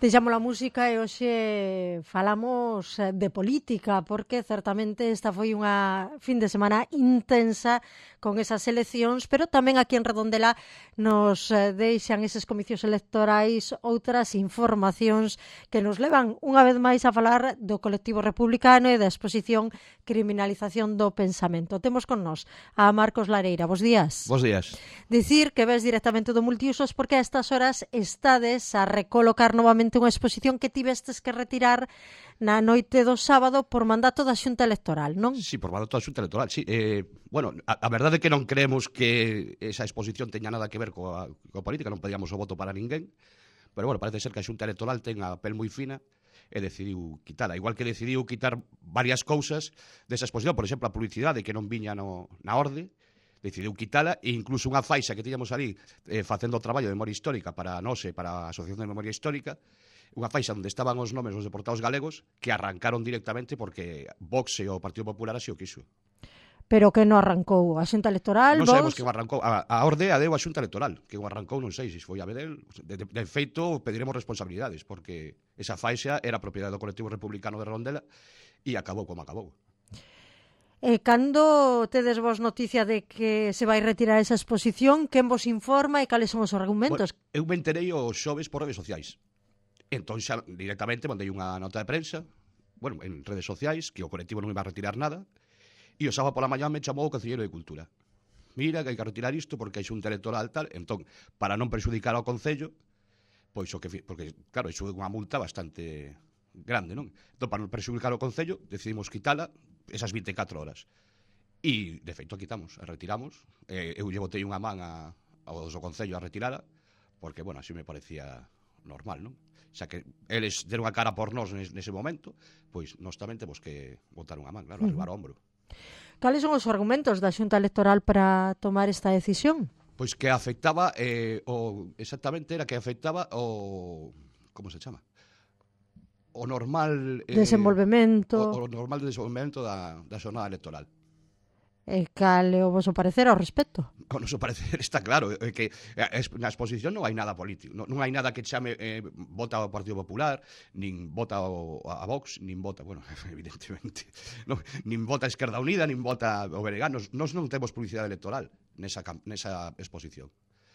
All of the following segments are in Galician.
Deixamos a música e hoxe falamos de política, porque certamente esta foi unha fin de semana intensa con esas eleccións, pero tamén aquí en Redondela nos deixan eses comicios electorais outras informacións que nos levan unha vez máis a falar do colectivo republicano e da exposición Criminalización do Pensamento. Temos con nós a Marcos Lareira. Bos días. Bos días. Dicir que ves directamente do Multiusos porque a estas horas estades a recolocar novamente unha exposición que tivestes que retirar na noite do sábado por mandato da Xunta Electoral, non? Sí, por mandato da Xunta Electoral, sí. Bueno, a verdade é que non creemos que esa exposición teña nada que ver coa política, non pedíamos o voto para ninguén, pero bueno, parece ser que a Xunta Electoral ten a pel moi fina e decidiu quitala. Igual que decidiu quitar varias cousas desa exposición, por exemplo, a publicidade que non viña na orde, decidiu quitala, e incluso unha faixa que tiñamos ali facendo o traballo de memoria histórica para a NOSE, para a Asociación de Memoria Histórica, unha faixa onde estaban os nomes dos deportados galegos que arrancaron directamente porque Vox e o Partido Popular así o quiso. Pero que non arrancou a Xunta Electoral? Non sabemos que o arrancou. A orde a deu a Xunta Electoral, que o arrancou non sei se foi a Bedel. De feito, pediremos responsabilidades, porque esa faixa era propiedade do colectivo republicano de Redondela e acabou como acabou. Cando tedes vos noticia de que se vai retirar esa exposición, quen vos informa e cales son os argumentos? Bueno, eu me enterei os xoves por redes sociais. Entón xa directamente mandei unha nota de prensa, bueno, en redes sociais, que o colectivo non iba a retirar nada, e o sábado pola mañá me chamou o Concelleiro de Cultura. Mira, que hai que retirar isto porque hai xunta electoral tal, entón, para non perxudicar ao Concello, pois o que porque, claro, iso é unha multa bastante grande, non? Entón, para non perxudicar ao Concello, decidimos quitala esas 24 horas. E, de feito, a quitamos, a retiramos. Eu lle botei unha man ao do Concello a retirala, porque, bueno, así me parecía normal, non? Xa que eles deron a cara por nós nese momento, pois nós tamén temos que botar unha man, claro, arribar o ombro. Cales son os argumentos da Xunta Electoral para tomar esta decisión? Pois que afectaba, exactamente era que afectaba o... como se chama? O normal... desenvolvemento... O normal desenvolvemento da xornada electoral. E cal é o vosso parecer ao respecto? O noso parecer está claro, é que na exposición non hai nada político, non hai nada que chame vota ao Partido Popular, nin vota a Vox, nin vota, bueno, evidentemente, nin vota a Esquerda Unida, nin vota o BNG, nós non temos publicidade electoral nesa exposición.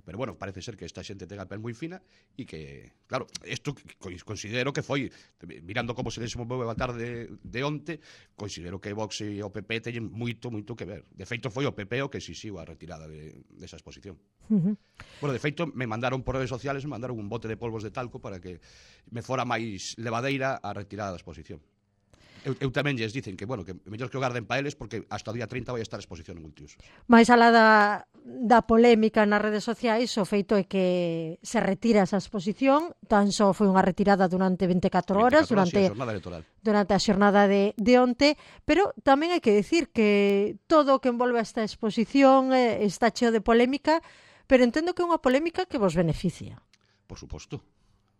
Pero, bueno, parece ser que esta xente ten a pel moi fina e que, claro, isto considero que foi, mirando como se desenvolveu a tarde de onte, considero que Vox e o PP teñen moito que ver. De feito, foi o PP o que exixiu a retirada desa exposición. Bueno, de feito, me mandaron por redes sociales, me mandaron un bote de polvos de talco para que me fora máis levadeira a retirada da exposición. Eu tamén lles dicen que, bueno, que mellor que o garden pa eles porque hasta o día 30 vai estar a exposición en Multiusos. Mais alá da polémica nas redes sociais, o feito é que se retira esa exposición, tan só foi unha retirada durante 24 horas, durante a xornada de onte, pero tamén hai que decir que todo o que envolve esta exposición está cheo de polémica, pero entendo que é unha polémica que vos beneficia. Por suposto.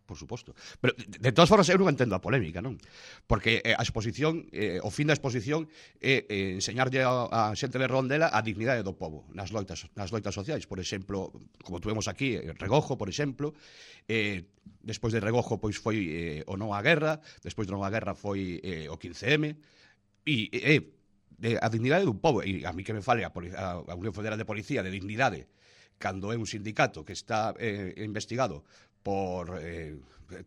Por suposto. Pero, de todas formas, eu non entendo a polémica, non? Porque a exposición, o fin da exposición é enseñarlle a xente de Redondela a dignidade do pobo nas loitas sociais. Por exemplo, como tuvemos aquí, Regojo, por exemplo, despois de Regojo pois foi o non á guerra, despois do non á guerra foi o 15M, e a dignidade dun pobo. E a mí que me fale a Unión Federal de Policía de dignidade cando é un sindicato que está investigado por,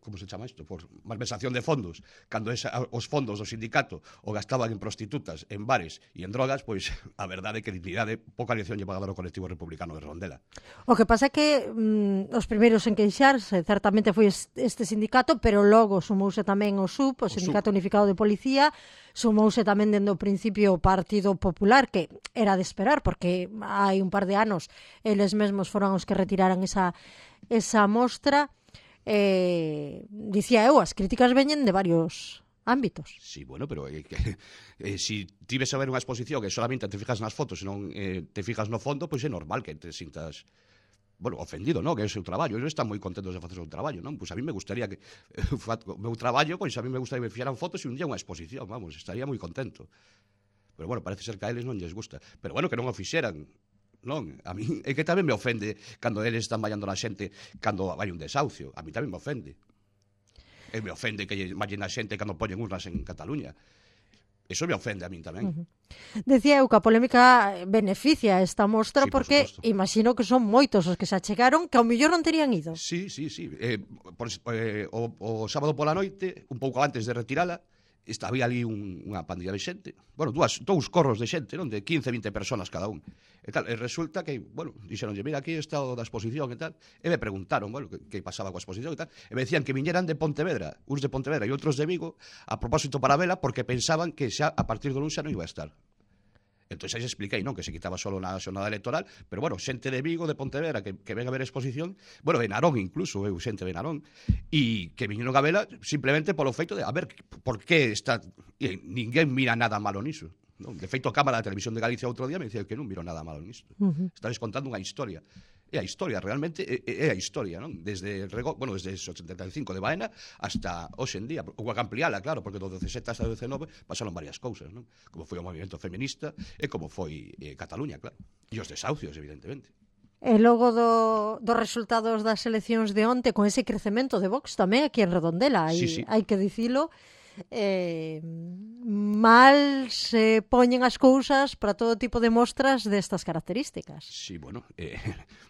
como se chama isto? Por malversación de fondos, cando os fondos do sindicato o gastaban en prostitutas, en bares e en drogas, pois a verdade é que dignidade pouca lección lle va a dar o colectivo republicano de Redondela. O que pasa é que os primeiros en queixarse certamente foi este sindicato, pero logo sumouse tamén o SUP, o Sindicato Unificado de Policía, sumouse tamén dende o principio o Partido Popular, que era de esperar, porque hai un par de anos eles mesmos foron os que retiraran esa mostra. Dicía eu, as críticas veñen de varios ámbitos. Sí, bueno, pero si ti ves a ver unha exposición que solamente te fijas nas fotos e non te fijas no fondo, pois é normal que te sintas, bueno, ofendido, non? Que é o seu traballo. Eles están moi contentos de facer o seu traballo, non? Pois a mí me gustaría que o meu traballo, pois a mí me gustaría que me fixeran fotos e un día unha exposición, vamos, estaría moi contento. Pero, bueno, parece ser que a eles non lles gusta. Pero, bueno, que non o fixeran. Non, a mí é que tamén me ofende cando eles están vallando na xente cando vai un desahucio, a mí tamén me ofende. E me ofende que imagina a xente cando poñen urnas en Cataluña. Eso me ofende a min tamén. Decía eu que a polémica beneficia esta mostra Sí, por porque suposto. imagino que son moitos os que se achegaron que ao mellor non terían ido. Sí. O sábado pola noite, un pouco antes de retirala, había ali unha pandilla de xente. Bueno, dous corros de xente, non? De 15, 20 personas cada un. E tal, e resulta que, bueno, dixeronlle, mira, aquí está o da exposición e tal. E me preguntaron, bueno, que pasaba coa exposición e tal. E me decían que viñeran de Pontevedra, uns de Pontevedra e outros de Vigo, a propósito para vela, porque pensaban que xa a partir do luns xa non iba a estar. Entón aí expliquei, non, que se quitaba solo na xornada electoral, pero bueno, xente de Vigo, de Pontevedra, que ven a ver a exposición, bueno, de Narón incluso, xente de Narón, e que viñeron a vela simplemente polo feito de, a ver, por que está... E ninguén mira nada malo niso. Non? De feito, a Cámara da Televisión de Galicia outro día me dicía que non miro nada malo nisto. Estades contando unha historia. E a historia, realmente, é a historia, non? Desde o 85 de Baena hasta hoxe en día. Ou a ampliala, claro, porque do 17 hasta o 19 pasaron varias cousas, non? Como foi o movimento feminista e como foi Cataluña, claro. E os desahucios, evidentemente. E logo dos resultados das eleccións de onte, con ese crecemento de Vox tamén aquí en Redondela, hai que dicilo, mal se poñen as cousas para todo tipo de mostras destas características. Sí, bueno,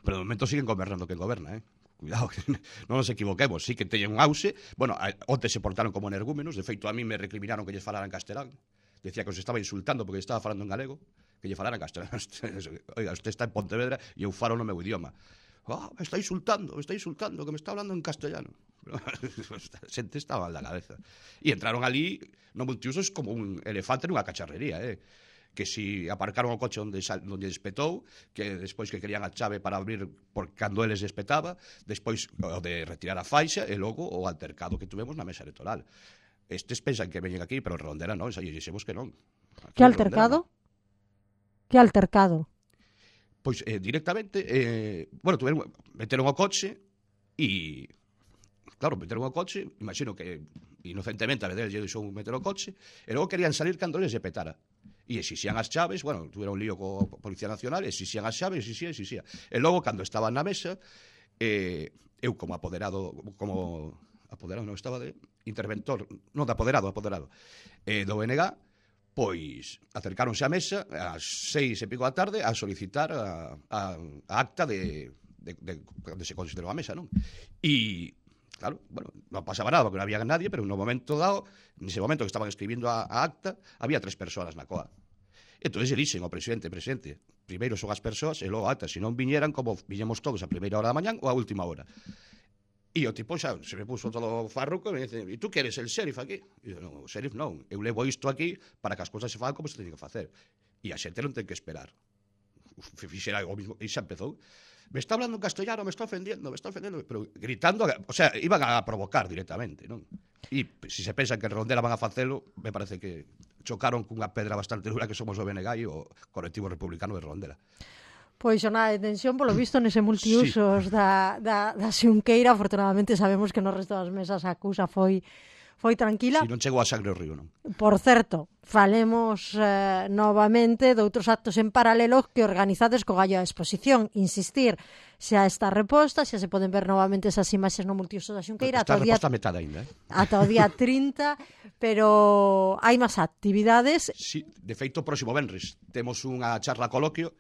pero de momento siguen gobernando quen goberna, Cuidado, que non nos equivoquemos, sí que teñen un auxe. Bueno, onte se portaron como energúmenos, de feito a mí me recriminaron que lles falaran castelán. Decía que os estaba insultando porque estaba falando en galego, que lle falaran castelán. Oiga, usted está en Pontevedra e eu falo no meu idioma. Me está insultando, que me está hablando en castellano. A xente estaba mal da cabeza. E entraron ali no multiusos como un elefante nunha cacharrería, que si aparcaron o coche onde despetou, que despois que querían a chave para abrir por cando eles despetaba, despois o de retirar a faixa e logo o altercado que tuvemos na mesa electoral. Estes pensan que veñen aquí, pero en Redondela non, xa dixemos que non. Que altercado? Que altercado? Pois directamente, bueno, meteron o coche e... Claro, meteron o coche, imagino que inocentemente a Bedel lle deixou meter o coche, e logo querían salir cando eles se petara. E exixían as chaves, bueno, tuveron un lío co Policía Nacional, exixían as chaves, exixía. E logo, cando estaban na mesa, eu como apoderado, non estaba de interventor, non de apoderado, do BNG, pois acercáronse á mesa ás 6 e pico da tarde a solicitar a acta de se considerou a mesa, non? E claro, bueno, non pasaba nada porque non había nadie, pero no momento dado, nese momento que estaban escribindo a acta, había 3 persoas na coa. Entón, dixen ao presidente, primeiro son as persoas e logo a acta, se non viñeran como viñemos todos a primeira hora da mañán ou a última hora. E o tipo xa se me puso todo farruco e me dice, e tú que eres el sheriff aquí? E eu, non, o sheriff non, eu levo isto aquí para que as cousas se fagan como se teñen que facer. E a xente non ten que esperar. Fixera o mismo, e xa empezou. Me está hablando en castellano, me está ofendiendo, pero gritando, o sea, iban a provocar directamente, non? E se se pensan que en Redondela van a facelo, me parece que chocaron cunha pedra bastante dura que somos o BNG e o Colectivo Republicano de Redondela. Pois xornada de tensión, polo visto, nese multiusos da Xunqueira. Afortunadamente sabemos que no resto das mesas a cousa foi tranquila. Si non chegou a sangre o río, non? Por certo, falemos novamente de outros actos en paralelo que organizades co gallo da exposición. Insistir, xa está reposta, xa se poden ver novamente esas imaxes no multiuso da Xunqueira. Está reposta a metade ainda, ata o día 30, pero hai máis actividades. Sí, de feito, o próximo venres temos unha charla coloquio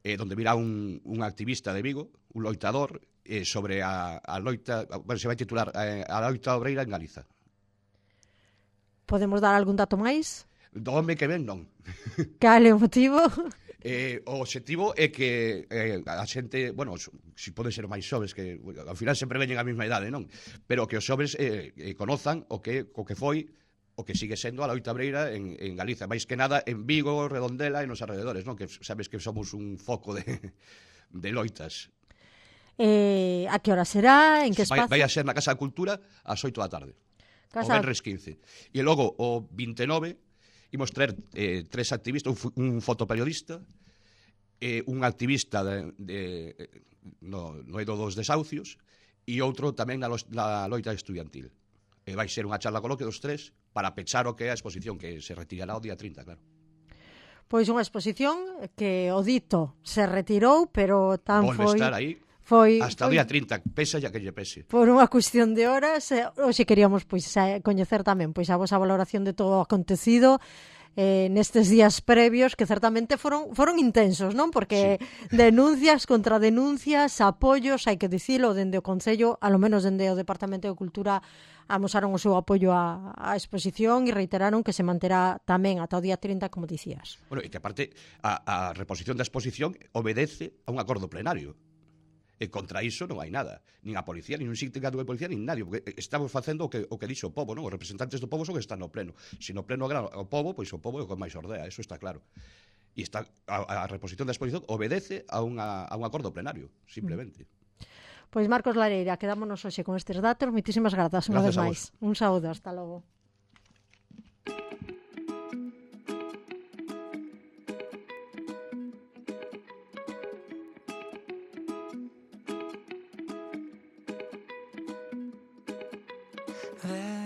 donde virá un activista de Vigo, un loitador, sobre a loita, bueno, se vai titular a loita obreira en Galiza. Podemos dar algún dato máis? Do home que ven, non. Cal é o motivo? O objetivo é que a xente, bueno, si pode ser máis xoves, que ao final sempre veñen a mesma idade, non? Pero que os xoves conozan o que foi, o que sigue sendo a loita obreira en Galiza, máis que nada en Vigo, Redondela e nos alrededores, non? Que sabes que somos un foco de loitas. A que hora será? En que espazo? Vai a ser na Casa da Cultura ás 8 da tarde. O venres 15. E logo, o 29, imos traer 3 activistas, un fotoperiodista, un activista no eido dos desahucios, e outro tamén na loita estudiantil. Vai ser unha charla coloque dos 3 para pechar o que é a exposición, que se retirará o día 30, claro. Pois unha exposición que o dito se retirou, pero tan Volve foi... estar aí. Hasta o día 30, pesa ya que lle pese. Por unha cuestión de horas, hoxe queríamos coñecer tamén a vosa valoración de todo o acontecido nestes días previos que certamente foron intensos, non? Porque denuncias contra denuncias, apoios, hai que dicilo, dende o Concello, alo menos dende o Departamento de Cultura, amosaron o seu apoio á exposición e reiteraron que se manterá tamén ata o día 30, como dicías. Bueno, e que aparte a reposición da exposición obedece a un acordo plenario. E contra iso non hai nada. Nin a policía, nin un sindicato de policía, nin nadie. Porque estamos facendo o que dixo o povo, non? Os representantes do povo son que están no pleno. Se no pleno agrada o povo, pois o povo é o que máis ordea. Eso está claro. E a reposición da exposición obedece a un acordo plenario, simplemente. Pois Marcos Lareira, quedámonos hoxe con estes datos. Moitísimas grazas unha vez máis. Un saúdo, hasta logo. There